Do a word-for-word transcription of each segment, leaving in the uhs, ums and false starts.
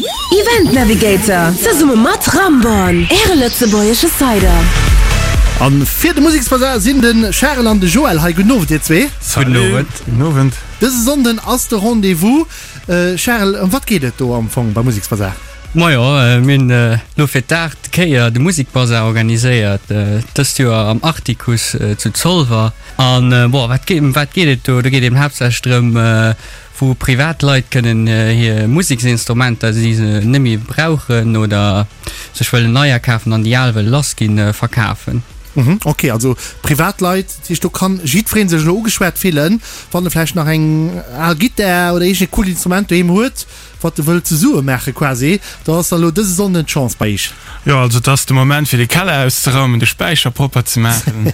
Event Navigator zesumme mat Ramborn, Äre lëtzebuergesche Cider. An fir de Museksbasar sinn de Charel an de Joël hei. Gudden Owend dir zwee. Gudden Owend. Gudden Owend. Dëse Sonnden ass de Rendez-vous. Charel, ëm wat geet et do am Fong beim Museksbasar? Majo, mir hunn elo fir d'aacht Kéier de Musekbasar organiséiert, dëst Joer am Artikuss zu Zolwer. An bon, wat geet, ëm wat geet et do? Do geet et eben haaptsächlech drëm, wou privat Leit kënnen hir Museksinstrumenter, déi se net méi brauchen oder sech wëllen neier kafen an déi al wëlle lass ginn, verkafen. Ok, also Privatleit, dat heescht do kann jiddweree sech elo ugeschwat fillen, wann e vläicht nach eng al Gittar oder iergend e coolt Instrument doheem huet, wat e wëllt zesumme maache quasi, da ass da elo dëse Sonnden d'Chance bei iech. Jo, also et ass de Moment fir de Keller auszeraumen, de Späicher propper ze maachen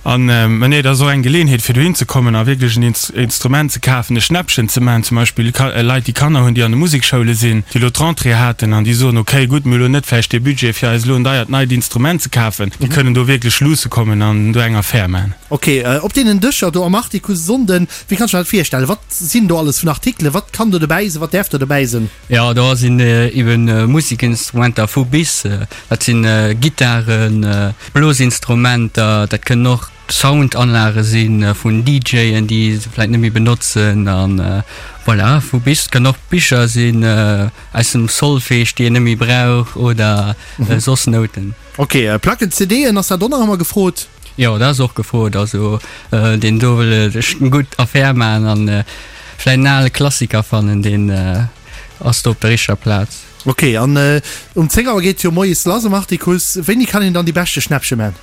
an, mä nee, et ass och eng Geleeënheet fir dohin ze kommen a wierklech en Instrument ze kafen, e Schnäppchen ze maachen. Zum Beispill Leit déi Kanner hunn, déi an de Musekschoule sinn, déi elo d'Rentrée haten an déi soen, ok gutt, mir hu elo net vläicht dee Budget fir eis elo en deiert neit Instrument ze kafen, déi kënnen do wierklech luusse kommen an do eng Affär maachen. Ok, op deenen Dëscher do am Artikuss e Sonnden, wéi kann ech mer dat virstellen? Wat sinn do alles vun Artikelen? Wat kann do dobäi sinn? Wat däerf do dobäi sinn? Jo, do sinn eben Musekinstrumenter vu bis. Dat sinn Gittaren, Blosinstrumenter, dat kënnen och Soundanlage si vun DJen, déi se vläit net méi benotzen an voilà, vu bis. Et kënnen och Bicher sinn aus dem Solfège, déi een net méi brauch oder soss Nouten. Ok, Placken, CDen, ass dat och nach ëmmer gefrot? Jo, dat ass och gefrot. Also deen do wëll sech eng gutt Affär maachen an vläit en ale Klassiker fannen, deen ass do op der richteger Plaz. Ok, an um zéng Auer geet jo moies lass am Artikuss. Wéini kann een dann déi beschte Schnäppche man?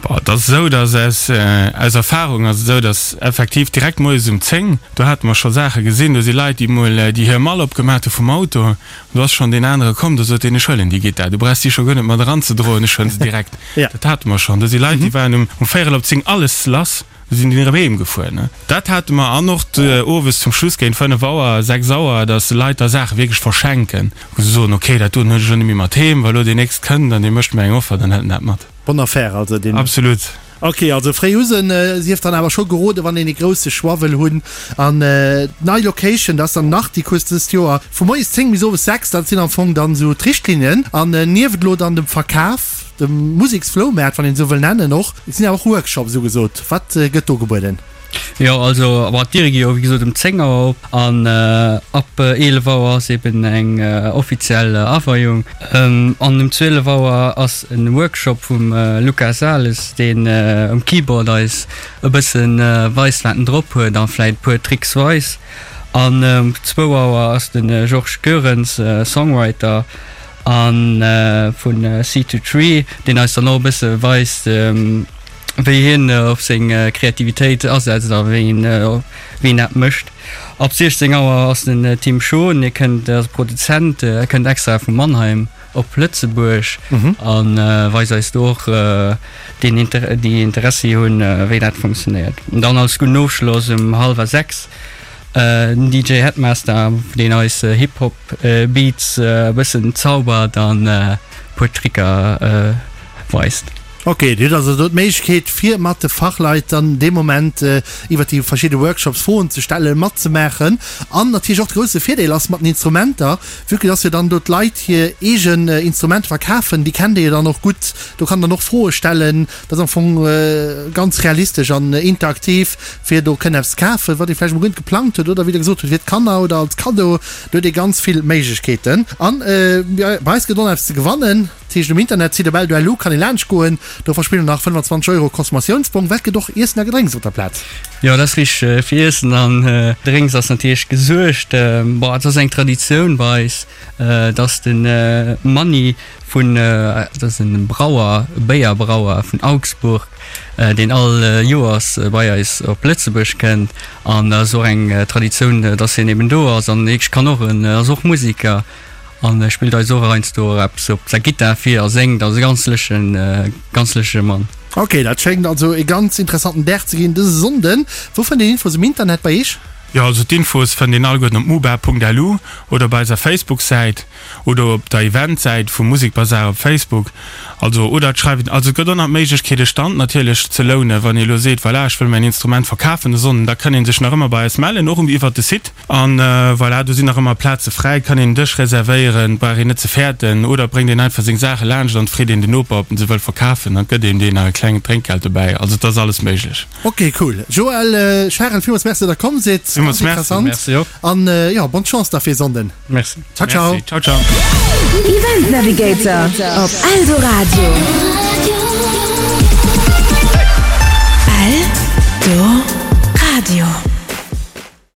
Bon, et ass esou, dass aus, aus Erfahrung ass et esou, dass effektiv direkt moies um zéng, do hate mer scho Saache gesinn, do si Leit, déi mol, déi hir Mall opgemaach hu vum Auto, an do ass schonn deen anere komm, do sot deen, ech huelen déi Gittar, du brauchs déi scho guer net mat eranzedroen, ech huelen se direkt. Dat hate mer schonn. Do si Leit, déi waren um, um véierel op zéng alles lass. Do sinn déi erëm heem gefuer, ne? Dat hate mer. An och owes zum Schluss géint fënnef Auer, sechs Auer, datt Leit da Saache wierklech verschenken, wou se soen, ok, dat doen huet ech elo net méi mat heem, wa lo deen nächst kënnt an dee mécht mer eng Offer, dann hëlt en dat mat. Bonne affaire also deen. Absolut. Ok, also fréi u sinn, sief dann awer scho geroden, wann een ee grousse Choix wëll hunn. An nei Location, dat ass dann Nachtikus dëst Joer, vu moies zéng bis owes sechs, dat sinn am Fong dann esou d'Richtlinnen. An nieft elo dann dem Verkaf, Dem Museksfloumaart, wann een esou wëll nennen, och. Et sinn awer och Workshops ugesot. Wat gëtt do gebueden? Jo, also bon, d'Diere gi jo wéi gesot um zéng Auer op an ab eelef Auer ass eben eng offiziell Aweiung. An um zwielef Auer ass e Workshop vum Luca Sales, deen um Keyboard eis e bësse weist, wat en drop huet a vläit e puer Tricks weist. An um zwou Auer ass de Georges Goerens, Songwriter, A vun Seed to Tree, deen eis dann och e bësse weist, wéi hien op seng Kreativitéit asetzt a wéi en wéi en dat mécht. Ab siechzéng Auer ass den Tim Schon, hie kënnt, ass Produzent, e kënnt extra vu Mannheim op Lëtzebuerg a weist eis do och deen déi Interessi hunn, wéi dat funktionéiert. An dann als gudden Ofschloss um hallwer sechs Den D J Headmaster, deen eis Hip Hop Beats e bëssen zaubert an e puer Tricker weist. Ok, dir hutt also do d'Méiglechkeet fir mat de Fachleit dann dee Moment iwwer déi verschidde Workshops Froen ze stellen, matzemaachen. An natierlech och de grousse Virdeel ass mat den Instrumenter, vue que dass jo dann do d'Leit hir eegen Instrumenter verkafen, déi kennt Dir jo dann och gutt, do kann dann och Froe stellen. Dat ass am Fong ganz realistesch an interaktiv. fir do kënnen eppes ze kafen, wat ee vläicht emol guer net geplangt huet oder wéi Der gesot hutt, fir d'Kanner oder als Kaddo. Do huet ee ganz vill Méiglechkeeten. An bei eis gëtt och nach eppes ze gewannen. Dat heescht, um Internetsite op L U kann ee laanscht goen. Do verspillt een nach fënnfanzwanzeg Euro Consommatiounsbong. Wat gëtt och Iessen a Gedrénks op der Plaz? Jo, dat ass richteg. Fir Iessen an Drénks ass natierlech gesuergt. Bon, et ass eng Traditioun bei eis, dass de Manni vun, dat ass e Brauer, e Béierbrauer vun Augsburg, deen all Joers bei eis op Lëtzebuerg kënnt an dat ass och eng Traditioun, dass hien eben do ass an hie kann och, en ass och Musiker an spillt eis och heiansdo eppes op der Gittar vir a séngt, also e ganz lëschtegen, ganz lëschtege Mann. Ok, dat schéngt also e ganz interessanten Dag ze ginn dëse Sonnden. Wou fënnt een Infos um Internet bei Iech? Jo, also d'Infos fënnt een alleguerten op muba.lu oder op eiser Facebook-Säit oder op der Event-Säit vum Musikbasar op Facebook. Also, oder et schreift een, also et gëtt och nach d'Méiglechkeet e Stand natierlech ze lounen, wann ee elo seet, voilà, ech wëll mäin Instrument verkafen de Sonnden, da kann ee sech nach ëmmer bei eis mellen, och iwwert de Site. An voilà, do sinn nach ëmmer Plaze fräi, kann een en Dësch reservéieren, brauch een net ze fäerten. Oder bréngt een einfach seng Saache laanscht an freet een den Noper, ob en se wëll verkafen, dann gëtt een deen nach e klengt Drénkgeld dobäi. Also et ass alles méiglech. Ok, cool. Joël, Charel, villmools Merci, datt der komm sidd. Villmools Merci. Merci och. An jo, bonne Chance da fir Sonnden. Merci. Ciao, ciao. Merci. Ciao, ciao. Event Navigator op Eldoradio.